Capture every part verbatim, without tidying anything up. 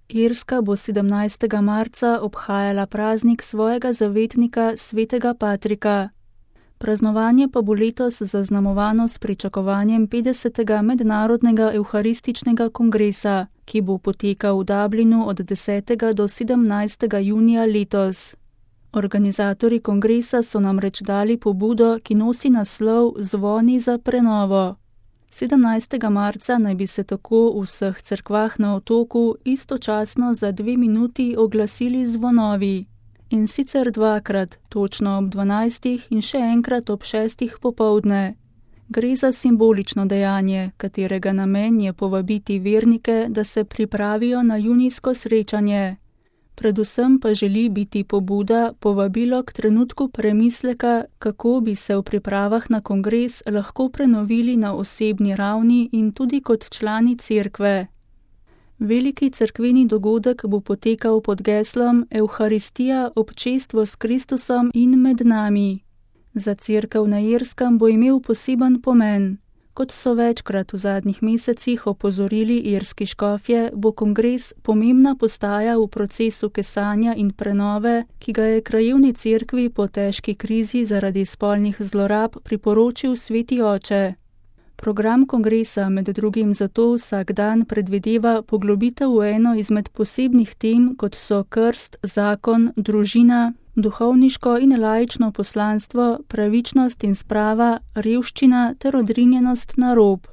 Irska bo sedemnajstega marca obhajala praznik svojega zavetnika svetega Patrika. Praznovanje pa bo letos zaznamovano s pričakovanjem petdesetega mednarodnega evharističnega kongresa, ki bo potekal v Dublinu od desetega do sedemnajstega junija letos. Organizatorji kongresa so namreč dali pobudo, ki nosi naslov Zvoni za prenovo. sedemnajstega marca naj bi se tako v vseh cerkvah na otoku istočasno za dve minuti oglasili zvonovi. In sicer dvakrat, točno ob dvanajstih in še enkrat ob šestih popoldne. Gre za simbolično dejanje, katerega namen je povabiti vernike, da se pripravijo na junijsko srečanje. Predvsem pa želi biti pobuda povabilo k trenutku premisleka, kako bi se v pripravah na kongres lahko prenovili na osebni ravni in tudi kot člani cerkve. Veliki cerkveni dogodek bo potekal pod geslom Evharistija, občestvo s Kristusom in med nami. Za cerkev na Irskem bo imel poseben pomen. Kot so večkrat v zadnjih mesecih opozorili irski škofje, bo kongres pomembna postaja v procesu kesanja in prenove, ki ga je krajevni cerkvi po težki krizi zaradi spolnih zlorab priporočil sveti oče. Program kongresa med drugim zato vsak dan predvideva poglobitev v eno izmed posebnih tem, kot so krst, zakon, družina, duhovniško in laično poslanstvo, pravičnost in sprava, revščina ter odrinjenost na rob.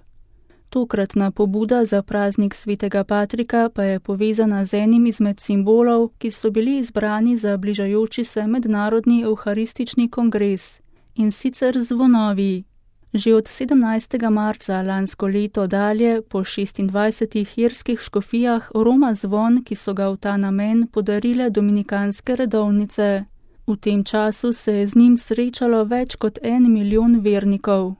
Tokratna pobuda za praznik svetega Patrika pa je povezana z enim izmed simbolov, ki so bili izbrani za bližajoči se mednarodni evharistični kongres, in sicer zvonovi. Že od sedemnajstega marca lansko leto dalje po šestindvajsetih irskih škofijah roma zvon, ki so ga v ta namen podarile dominikanske redovnice. V tem času se je z njim srečalo več kot en milijon vernikov.